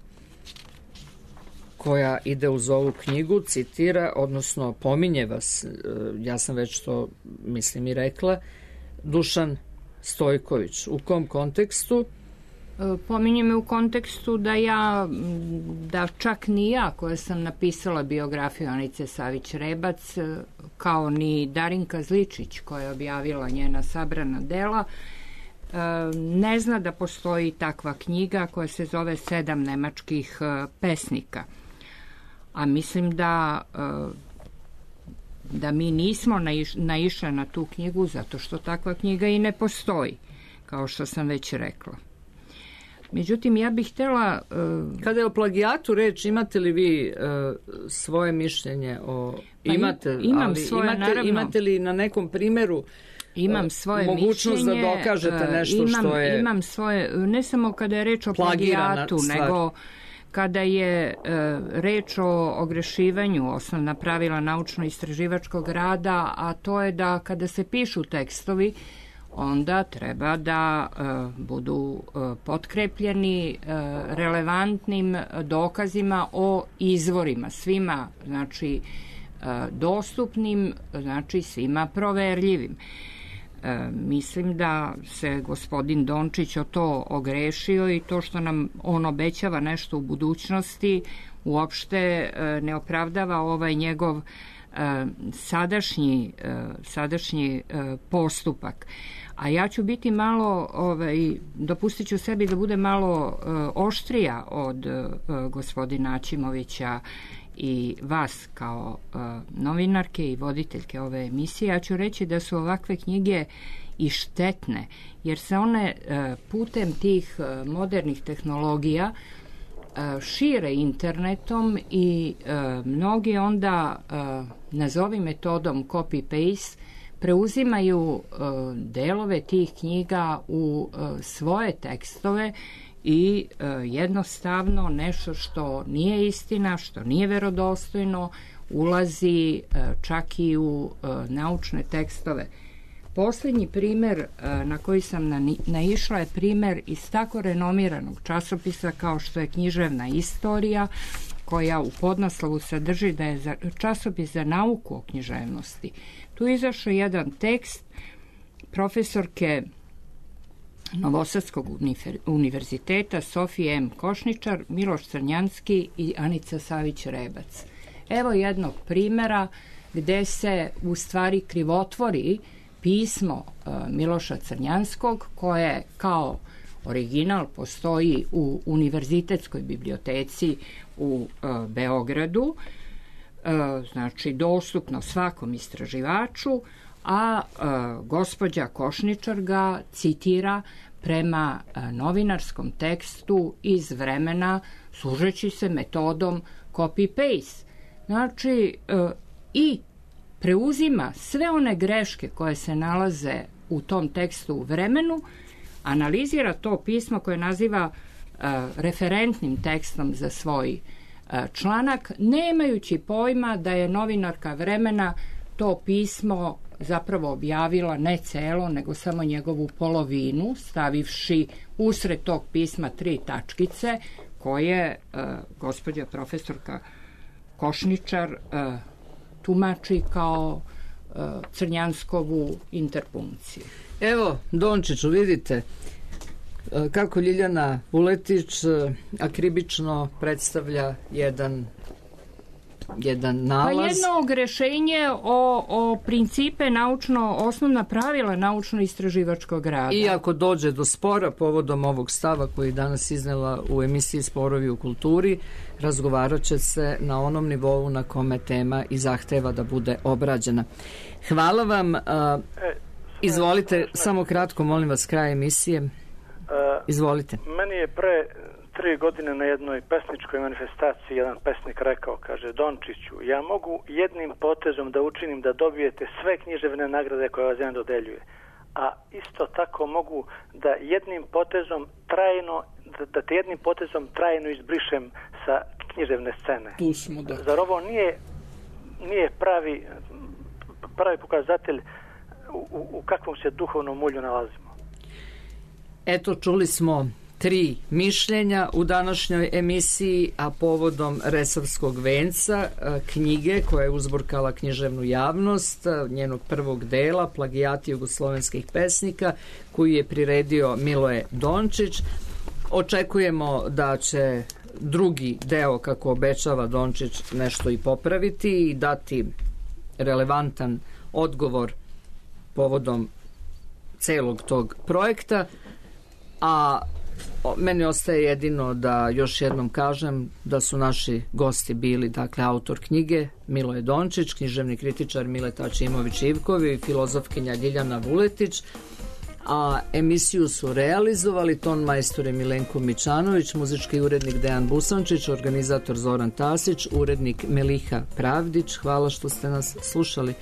koja ide uz ovu knjigu citira, odnosno pominje vas, ja sam već to mislim i rekla, Dušan Stojković. U kom kontekstu? Pominje me u kontekstu da čak ni ja koja sam napisala biografiju Anice Savić-Rebac, kao ni Darinka Zličić koja je objavila njena sabrana dela, ne zna da postoji takva knjiga koja se zove 7 nemačkih pesnika. A mislim da mi nismo naišli na tu knjigu zato što takva knjiga i ne postoji, kao što sam već rekla. Međutim, ja bih htjela... Kada je o plagijatu reč, imate li vi svoje mišljenje o... Imate li na nekom primjeru imam svoje mogućnost mišljenje, da dokažete nešto što je... Imam svoje, ne samo kada je reč o plagijatu, nego kada je reč o ogrešivanju, osnovna pravila naučno-istraživačkog rada, a to je da kada se pišu tekstovi, onda treba da budu potkrepljeni relevantnim dokazima o izvorima, svima, znači dostupnim, znači svima proverljivim. Mislim da se gospodin Dončić o to ogrešio i to što nam on obećava nešto u budućnosti uopšte ne opravdava ovaj njegov sadašnji postupak. A ja ću biti malo, dopustit ću sebi da bude malo oštrija od gospodina Aćimovića i vas kao novinarke i voditeljke ove emisije. Ja ću reći da su ovakve knjige i štetne, jer se one putem tih modernih tehnologija šire internetom i mnogi onda, nazovi metodom copy-paste, preuzimaju delove tih knjiga u svoje tekstove i jednostavno nešto što nije istina, što nije verodostojno, ulazi čak i u naučne tekstove. Posljednji primjer na koji sam naišla je primjer iz tako renomiranog časopisa kao što je Književna istorija, koja u podnaslovu sadrži da je časopis za nauku o književnosti. Tu je izašao jedan tekst profesorke Novosadskog univerziteta Sofije M. Košničar, Miloš Crnjanski i Anica Savić-Rebac. Evo jednog primjera gde se u stvari krivotvori pismo Miloša Crnjanskog, koje kao original postoji u univerzitetskoj biblioteci u Beogradu, znači dostupno svakom istraživaču, a gospođa Košničar ga citira prema novinarskom tekstu iz vremena služeći se metodom copy-paste. Znači, i preuzima sve one greške koje se nalaze u tom tekstu u vremenu, analizira to pismo koje naziva referentnim tekstom za svoj članak, nemajući pojma da je novinarka vremena to pismo zapravo objavila ne celo, nego samo njegovu polovinu, stavivši usred tog pisma 3 tačkice koje gospođa profesorka Košničar tumači kao Crnjanskovu interpunkciju. Evo, Dončiću, vidite kako Ljiljana Vuletić akribično predstavlja jedan nalaz. Pa jedno rešenje o principe osnovna pravila naučno-istraživačkog rada. I ako dođe do spora povodom ovog stava koji je danas iznela u emisiji Sporovi u kulturi, razgovarat će se na onom nivou na kome tema i zahteva da bude obrađena. Hvala vam. Izvolite, samo kratko, molim vas, kraj emisije. Izvolite. Meni je pre 3 godine na jednoj pesničkoj manifestaciji jedan pesnik rekao, kaže: Dončiću, ja mogu jednim potezom da učinim da dobijete sve književne nagrade koje vas jedan dodeljuje, a isto tako mogu da jednim potezom te jednim potezom trajno izbrišem sa književne scene. Tu smo, da. Zar ovo nije pravi pokazatelj u kakvom se duhovnom mulju nalazimo? Eto, čuli smo 3 mišljenja u današnjoj emisiji, a povodom Resavskog venca, knjige koja je uzburkala književnu javnost, njenog prvog dela, Plagijati jugoslovenskih pesnika, koju je priredio Miloje Dončić. Očekujemo da će drugi deo, kako obećava Dončić, nešto i popraviti i dati relevantan odgovor povodom celog tog projekta, a meni ostaje jedino da još jednom kažem da su naši gosti bili, dakle, autor knjige Miloje Dončić, književni kritičar Mileta Aćimović-Ivkovi i filozofkinja Ljiljana Vuletić, a emisiju su realizovali ton majstore Milenko Mićanović, muzički urednik Dejan Busančić, organizator Zoran Tasić, urednik Meliha Pravdić. Hvala što ste nas slušali.